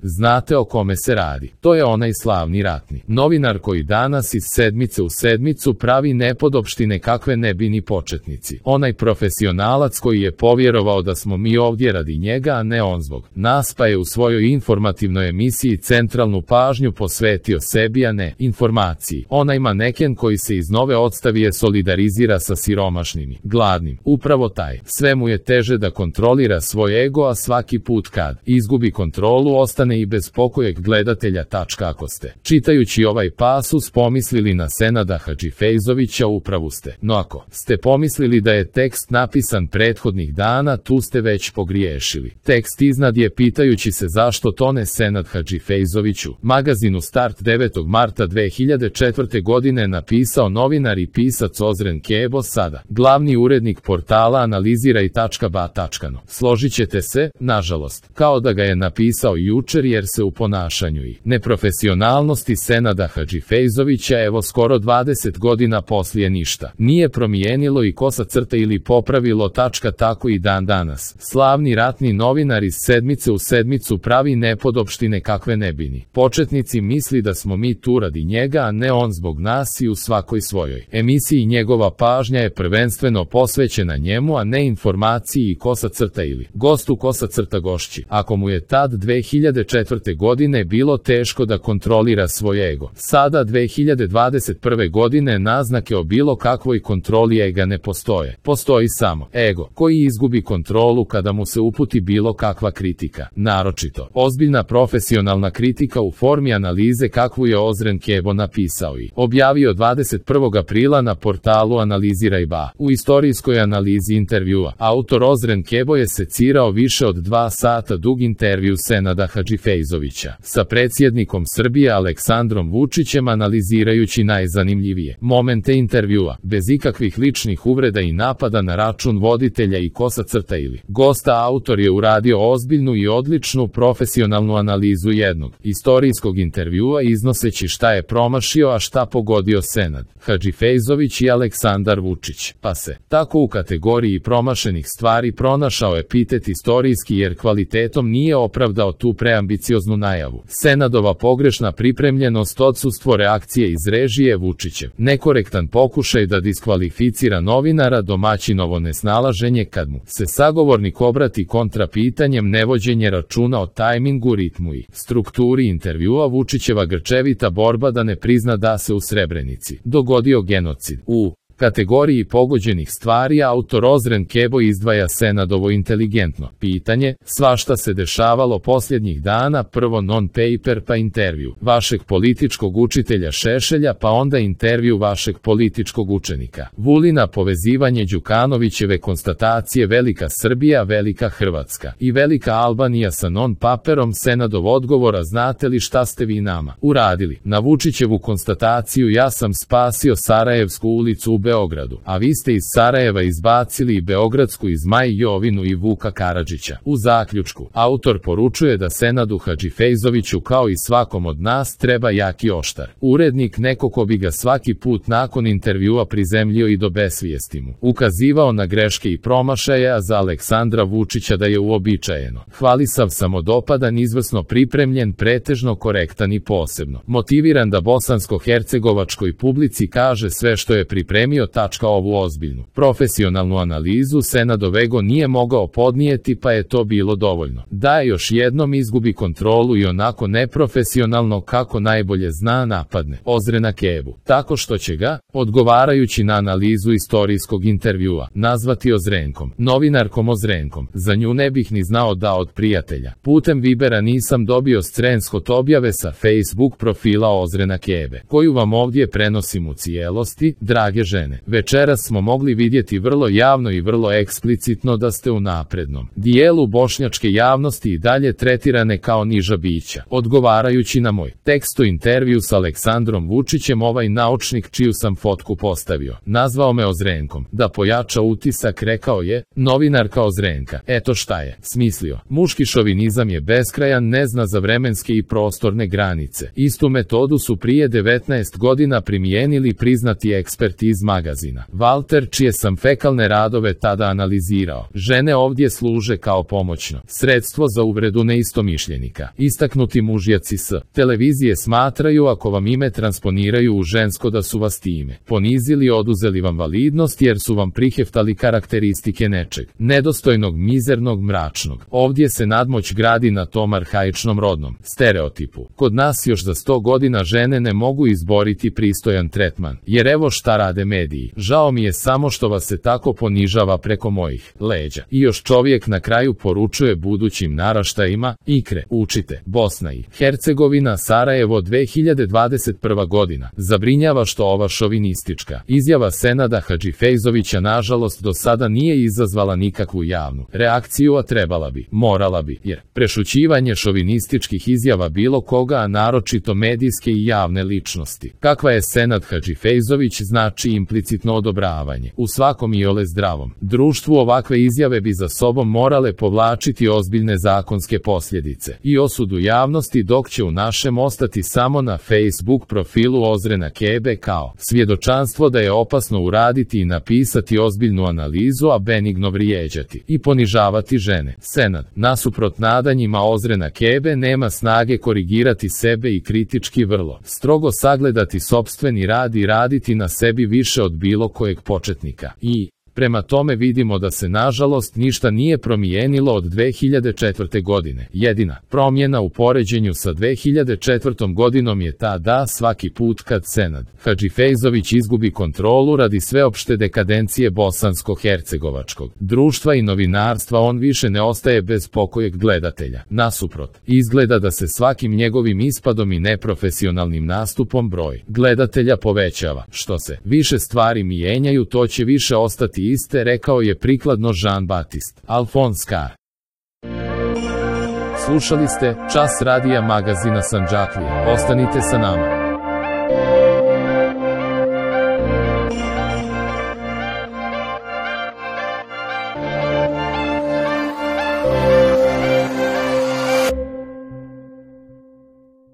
Znate o kome se radi. To je onaj slavni ratni novinar koji danas iz sedmice u sedmicu pravi nepodopštine kakve ne bi ni početnici. Onaj profesionalac koji je povjerovao da smo mi ovdje radi njega, a ne on zbog nas, pa je u svojoj informativnoj emisiji centralnu pažnju posvetio sebi, a ne informaciji. Onaj maneken koji se iz Nove Odstavije solidarizira sa siromašnim i gladnim. Upravo taj. Sve mu je teže da kontrolira svoj ego, a svaki put kad izgubi kontrolu ostane i bez pokojeg gledatelja. Ako ste, čitajući ovaj pasus, pomislili na Senada Hadžifejzovića, upravu ste. No ako ste pomislili da je tekst napisan prethodnih dana, tu ste već pogriješili. Tekst iznad je pitajući se zašto tone Senad Hadžifejzoviću. Magazinu Start 9. marta 2004. godine napisao novinar i pisac Ozren Kebo, sada glavni urednik portala Analiziraj.ba. Složit ćete se, nažalost, kao da ga je napisao jučer, jer se u ponašanju i neprofesionalnosti Senada Hadžifejzovića evo skoro 20 godina poslije ništa nije promijenilo i kosa crta ili popravilo. Tako i dan danas slavni ratni novinar iz sedmice u sedmicu pravi nepodopštine kakve ne bi ni početnici misli da smo mi tu radi njega, a ne on zbog nas, i u svakoj svojoj emisiji njegova pažnja je prvenstveno posvećena njemu, a ne informaciji i kosa crta ili gostu kosa crta gošći. Ako mu je tad 2004. godine bilo teško da kontrolira svoj ego, sada 2021. godine naznake o bilo kakvoj kontroli ega ne postoje. Postoji samo ego koji izgubi kontrolu kada mu se uputi bilo kakva kritika, naročito ozbiljna profesionalna kritika u formi analize kakvu je Ozren Kebo napisao i objavio 21. aprila na portalu Analiziraj.ba. U istorijskoj analizi intervjua autor Ozren Kebo je secirao više od 2 sata dug intervju Senada Hadžifejzovića sa predsjednikom Srbije Aleksandrom Vučićem, analizirajući najzanimljivije momente intervjua, bez ikakvih ličnih uvreda i napada na račun voditelja i kosa crta ili gosta. Autor je uradio ozbiljnu i odličnu profesionalnu analizu jednog istorijskog intervjua, iznoseći šta je promašio, a šta pogodio Senad Hadžifejzović i Aleksandar Vučić, pa se tako u kategoriji promašenih stvari pronašao epitet istorijski, jer kvalitetom nije opravdao tu preambicioznu najavu. Senadova pogrešna pripremljenost, odsustvo reakcije iz režije, Vučićev nekorektan pokušaj da diskvalificira novinara, domaćinovo nesnalaženje kad mu se sagovornik obrati kontra pitanjem, nevođenje računa o tajmingu, ritmu i strukturi intervjua, Vučićeva grčevita borba da ne prizna da se u Srebrenici dogodio genocid. U kategoriji pogođenih stvari autor Ozren Kebo izdvaja Senadovo inteligentno pitanje: svašta se dešavalo posljednjih dana, prvo non-paper pa intervju vašeg političkog učitelja Šešelja, pa onda intervju vašeg političkog učenika Vulina, povezivanje Đukanovićeve konstatacije Velika Srbija, Velika Hrvatska i Velika Albanija sa non-paperom. Senadov odgovor: a znate li šta ste vi nama uradili? Na Vučićevu konstataciju: ja sam spasio Sarajevsku ulicu u Beogradu, a vi ste iz Sarajeva izbacili i Beogradsku iz Maj Jovinu i Vuka Karadžića. U zaključku, autor poručuje da Senadu Hadžifejzoviću, kao i svakom od nas, treba jak i oštar urednik, neko ko bi ga svaki put nakon intervjua prizemljio i do besvijesti mu ukazivao na greške i promašaje, a za Aleksandra Vučića da je uobičajeno hvalisav, samodopadan, izvrsno pripremljen, pretežno korektan i posebno motiviran da bosansko-hercegovačkoj publici kaže sve što je pripremio. Ovu ozbiljnu profesionalnu analizu Senadov ego nije mogao podnijeti, pa je to bilo dovoljno da još jednom izgubi kontrolu i onako neprofesionalno, kako najbolje zna, napadne Ozrena Kebu, tako što će ga, odgovarajući na analizu istorijskog intervjua, nazvati Ozrenkom, novinarkom Ozrenkom. Za nju ne bih ni znao da od prijatelja putem Vibera nisam dobio screenshot objave sa Facebook profila Ozrena Kebe, koju vam ovdje prenosim u cijelosti. Drage žene, večeras smo mogli vidjeti vrlo javno i vrlo eksplicitno da ste u naprednom dijelu bošnjačke javnosti i dalje tretirane kao niža bića. Odgovarajući na moj tekst o intervju s Aleksandrom Vučićem, ovaj naučnik, čiju sam fotku postavio, nazvao me Ozrenkom. Da pojača utisak, rekao je: novinarka Ozrenka. Eto šta je smislio. Muški šovinizam je beskrajan, ne zna za vremenske i prostorne granice. Istu metodu su prije 19 godina primijenili priznati eksperti iz magazina. Walter, čije sam fekalne radove tada analizirao. Žene ovdje služe kao pomoćno sredstvo za uvredu neistomišljenika. Istaknuti mužjaci s televizije smatraju ako vam ime transponiraju u žensko da su vas time ponizili, oduzeli vam validnost jer su vam priheftali karakteristike nečeg nedostojnog, mizernog, mračnog. Ovdje se nadmoć gradi na tom arhaičnom rodnom stereotipu. Kod nas još za 100 godina žene ne mogu izboriti pristojan tretman, jer evo šta rade mediji. Žao mi je samo što vas se tako ponižava preko mojih leđa. I još čovjek na kraju poručuje budućim naraštajima: ikre, učite. Bosna i Hercegovina, Sarajevo, 2021. godina. Zabrinjava što ova šovinistička izjava Senada Hadžifejzovića nažalost do sada nije izazvala nikakvu javnu reakciju, a trebala bi, morala bi, jer prešućivanje šovinističkih izjava bilo koga, a naročito medijske i javne ličnosti, kakva je Senad Hadžifejzović, znači implicitno odobravanje. U svakom iole zdravom društvu ovakve izjave bi za sobom morale povlačiti ozbiljne zakonske posljedice i osudu javnosti, dok će u našem ostati samo na Facebook profilu Ozrena Kebe kao svjedočanstvo da je opasno uraditi i napisati ozbiljnu analizu, a benigno vrijeđati i ponižavati žene. Senad, nasuprot nadanjima Ozrena Kebe, nema snage korigirati sebe i kritički vrlo strogo sagledati sopstveni rad i raditi na sebi više od bilo kojeg početnika. I prema tome vidimo da se nažalost ništa nije promijenilo od 2004. godine. Jedina promjena u poređenju sa 2004. godinom je ta da svaki put kad Senad Hadžifejzović izgubi kontrolu radi sveopšte dekadencije bosansko-hercegovačkog društva i novinarstva, on više ne ostaje bez pokojeg gledatelja. Nasuprot, izgleda da se svakim njegovim ispadom i neprofesionalnim nastupom broj gledatelja povećava. Što se više stvari mijenjaju, to će više ostati iste, rekao je prikladno Jean-Baptiste Alphonse Karr. Slušali ste Čas radija magazina Sandžaklija. Ostanite sa nama.